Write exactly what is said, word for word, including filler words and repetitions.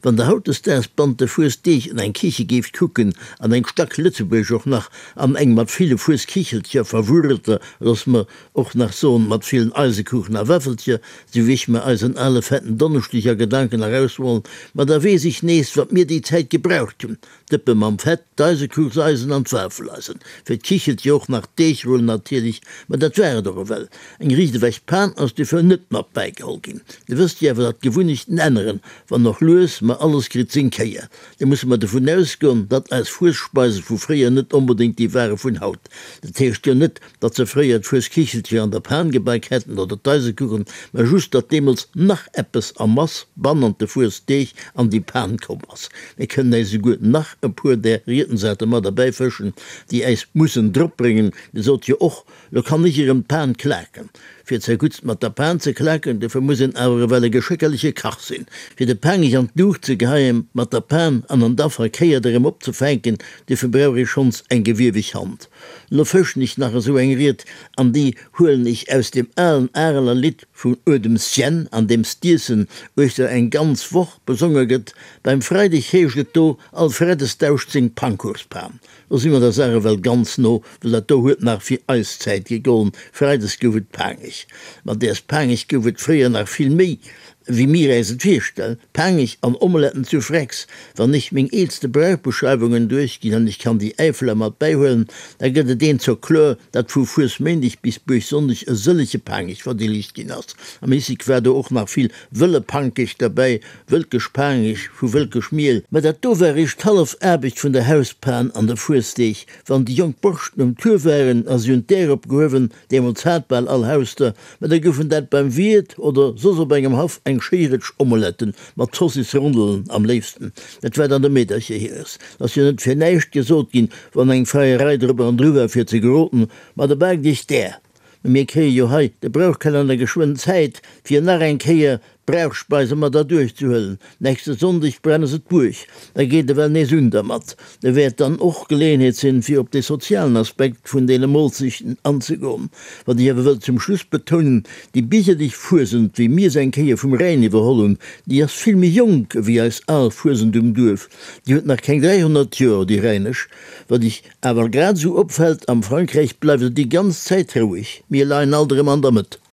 Wann Der hautdesdaags bannent de Fuesdeeg an eng Kiche géift kucken, an eng stack lëtzebuergesch och nach, an eng mat ville Fueskichelcher verwurrelter, looss mer och nach soen, mat villen Eisekuchen a Wäffelcher, sou wéi ech mer eisen ale fetten Donneschdeg a Gedanken erausmollen, ma da weess ech nees, wat mir déi Zäit gebraucht hunn, D'Dëppe mam Fett, d'Eisekuchseisen an d'Wafeleisen, fir d'Kichelcher och nach d'Deegrullen natierlech, ma dat war et och ewell. Eng riicht ewech Pan ass dofir net mat bäigeholl ginn. Dir wësst jo awer, datt d'Gewunnechten änneren, wann och lues, ma alles kritt seng Kéier. Da musse mer dovun ausgoen, datt eis Fuesspeise vu fréier net onbedéngt déi ware vun haut. Dat heescht jo net, datt se fréier d'Fueskichelcher an der Pan gebak hätten oder d'Eisekuchen, ma just, datt deemools nach eppes a Mass bannent de Fuesdeeg an déi Pan komm ass. Mir kënnen äis esouguer nach e puer där Rietensate mat erbäifëschen, déi äis mussen dropbréngen. Dir sot jo och, Lo kann ech erëm d'Pan klaken. Fir zerguttst mat der Pan ze klaken, dofir muss een awer ewell e geschéckerleche Kach sinn. Fir de Paangech an d'Luucht ze geheien mat der Pan an an da verkéiert erëm opzefänken, dofir brauch ee schonns eng gewieweg Hand. Lo fëschen ech nach esou eng Ried, an déi huelen ech aus deem alen Areler Lidd vum Uedemsjenn, an deem s'Diessen uechter eng ganz Woch besonge gëtt. Beim Freideg heescht et do, All Freddes dauscht seng Pankuchspan. Lo si mer der Saach ewell ganz no, well dat do huet nach fir eis Zäit gegollen, Freides gouf et Paangech. Ma däers Paangech gouf et fréier nach vill méi, wéi mir äis et virstellen. Paangech an Omeletten zu Frex. Wann ech meng eelste Brauchbeschreiwungen duerchginn, an ech kann déi Äifeler mat bäihuelen, da gëtt et eent zur kloer, datt vu Fuesméindeg bis Buergsonndeg e sëllege Paangech verdeelegt ginn ass. Am Hisseg war do och nach vill wëlle Pankech derbäi, Wëlkesch Paangech vu wëlkesch Miel. Mä dat do war eréischt d'hallef Aarbecht vun der Hauspan an de Fuesdeeg, wann déi jonk Borschten um Tour waren a si hunn d'Äer opgehuewen, deemools hat bal all Haus der, mä da goufen dat beim Wiert oder soss op engem Haff eng schéi Rëtsch Omeletten, mat Zossis-Rondelen am léifsten. Dat war dann de Meedercher hires. 't ass jo net fir näischt gesot ginn, wann eng Feierei drop an dru war fir ze geroden, ma da baakt iech d'Äer. Mä mir kréie jo hei de Brauchkalenner geschwënn Zäit, fir nach eng Kéier d'Brauchspeise mat erduerchzehuelen. Nächste Sonndeg brenne se d'Buerg, da geet ewell nees un dermat. Da wäert dann och Geleeënheet sinn, fir op dee sozialen Aspekt vun deene Molzechten anzegoen. Wat ech awer wëll zum Schluss betounen, Déi biergerlech Fuesent, wéi mir se eng Kéier vum Rhäin iwwerholl hunn, déi ass vill méi jonk ewéi eis al Fuesent um Duerf. Déi huet nach keng dräihonnert Joer, déi rhäinesch. Wat iech awer grad esou opfält, am Frankräich bleift et déi ganz Zäit roueg, mir leien alt erëm an der Mëtt.